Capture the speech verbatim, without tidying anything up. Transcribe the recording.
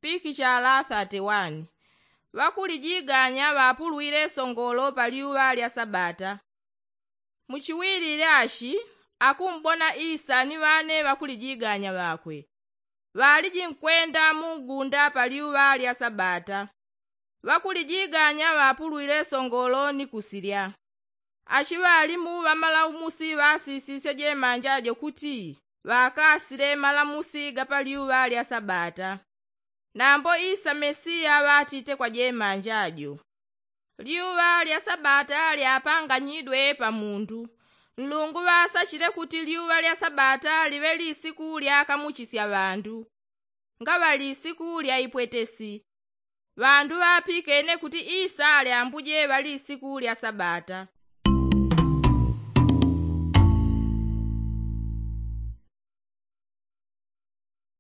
Pikichala thirty one. Ŵakulijiganya ŵapulwile songolo pa lyuŵa lya sabata. Muchiwilile ashi, akumbona isa ni ŵane ŵakulijiganya ŵakwe ŵaliji nkwenda mu ngunda pa lyuŵa lya sabata. Ŵakulijiganya ŵapulwile songolo ni kusilya. Ashi ŵalimu ŵamalamusi ŵasisisye jemanja jo kuti ŵakasile malamusi ga pa lyuŵa lya sabata. Nambo isa mesiya ŵatite kwa jemanja jo, lyuŵa lya sabata lyapanganyidwe pa mundu. Nlungu ŵasachile kuti lyuŵa lya sabata liŵe lisiku lyakamuchisya ŵandu. Ngaŵa lisiku lya ipwetesi. Ŵandu ŵapikene kuti isa ali ambuje ŵa lisiku lya sabata.